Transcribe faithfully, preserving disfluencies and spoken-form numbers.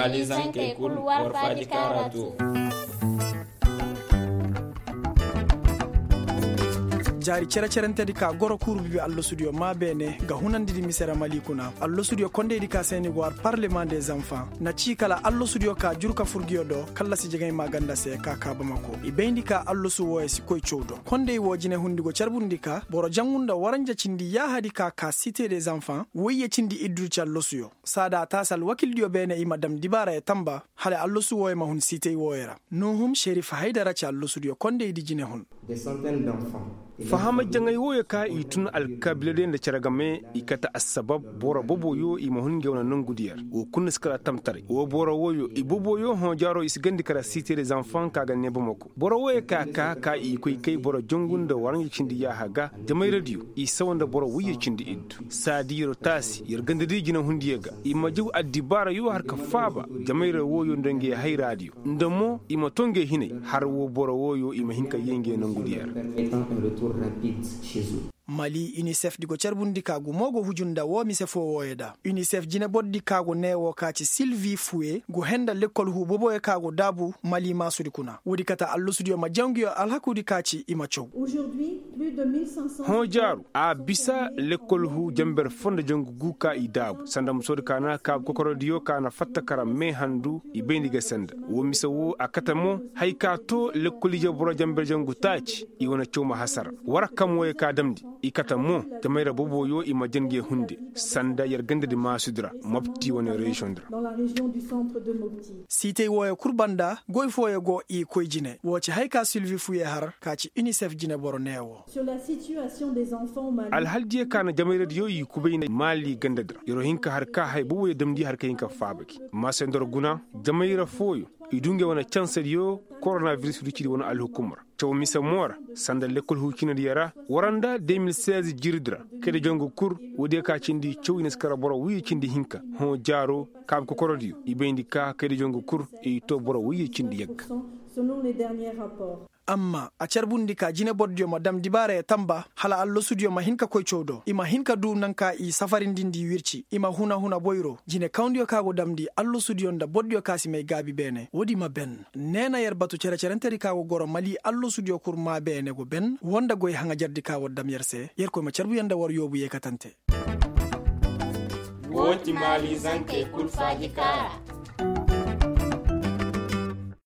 Alizankey kul war faaji kaara to. Jaari cere-cerentedi ka goro kuuru bibi allasudiyo maa beene ga hunandidi mise ra mali kuna. Allasudiyo kondeydi ka se ni go har parlement des enfants na cii kala allasudiyo ka juru ka fur nguyo do kallasi jegey maaganda se ka kaa bamako i bayndi ka allasu wooyo si koy caw do. Kondey woo jinehundi go carbundi ka boro jangu nda waranja cindi yaahadi ka kaa site des enfants woyye cindi iddu ci allasuyo. Saada a taasi alwakildiyo beene i ma dam dibaarayo tamba hala allasu wooyo ma hun siitay wooyo ra. Nuuhum serif haydara ci allasudiyo kondeydi jinehun. Fahamay jaŋay wooyo ka i tun alkaabiladiyo nda cere game i kate assabab boro boboyo i ma hun ngey wane nongudiyo ra woo kul na si kala tamtaray woo boro wooyo i boboyo hõ jaaro i si gandi kala siitay des enfants ka ga nee bamako. Boro wooyo ka kaa ka i koy kay boro jangu nda waranja cindi yaaha ga jamayradiyo i sawa nda boro woyye cindi iddu. Saadi yer taasi yer gandadi jinehundiyo ga i ma jaw addibaarayo har ka faaba jamayra wooyo nda ngey hayraadiyo nda mo i ma too ngey hinay har woo boro wooyo i ma hin ka yee ngey nongudiyo ra. Mali unicef di go carbundi ka gumo go huju nda woo mise foo wooyo da unicef jinebordi ka go nee woo ka ci silvi fuwe go henda lekkol huu boboyo ka go daabu mali maasudi kuna woodi kate allasudiyo ma jaw nguyo alhakuudi ka ci i ma caw. Hõ jaaru a bisa lekkol huu janber foo nda jangu guu ka i daabu sanda musoodi ka na kaabu kokorodiyo ka na fatta kara mee handu i bayndi ga senda woo mise woo a kate mo haya ka too lekkol ije boro janber jangu taaci i wane caw ma hasara. War kam wooyo ka damndi i kate mo jamayra boboyo i ma jan ngey hunde sanda yer gandadi maasudi ra mopti wane reziyoŋ di ra. Siitay wooyo kul banda goy fooyo go i koy jine woo ci haya ka silvi fuye har ka ci unicef jineboro nee woo. Alhaldiyo ka na jamayradiyo i kubay nda maali gandadi ra yer'o hin ka har ka haya boboyo damndi har ka hin ka faaba gi maasendor guna jamayra fooyo i du ngey wane cansadiyo koronabiris rucidi wane alhukum ra caw mise mo ra sanda lekkol huucinadiyo ra waranda de mil seize jiridi ra kayda jangu kul woodiyo ka cindi caw i na si kara boro woyye cindi hinka hõ jaaro kaabu kokorodiyo i bayndi ka kayda jangu kul i too boro woyye cindi yagga. Amma a carbundi ka jinebordiyo ma dam dibaarayo tamba hala allasudiyo ma hin ka koy caw do i ma hin ka duu naŋ ka i safarindindi wirci i ma huna huna boyro jinekawndiyo ka go damndi allasudiyo nda bordiyo ka si may gaabi beene woodi ma ben. Neena yer batu cere-cerentedi ka go goro mali allasudiyo kul maa beene go ben woo nda goy haŋajardi ka war dam yer se yerkoy ma carbu yer nda war yoobu yeekatante. Woo ti mali zankey kul faaji kaara.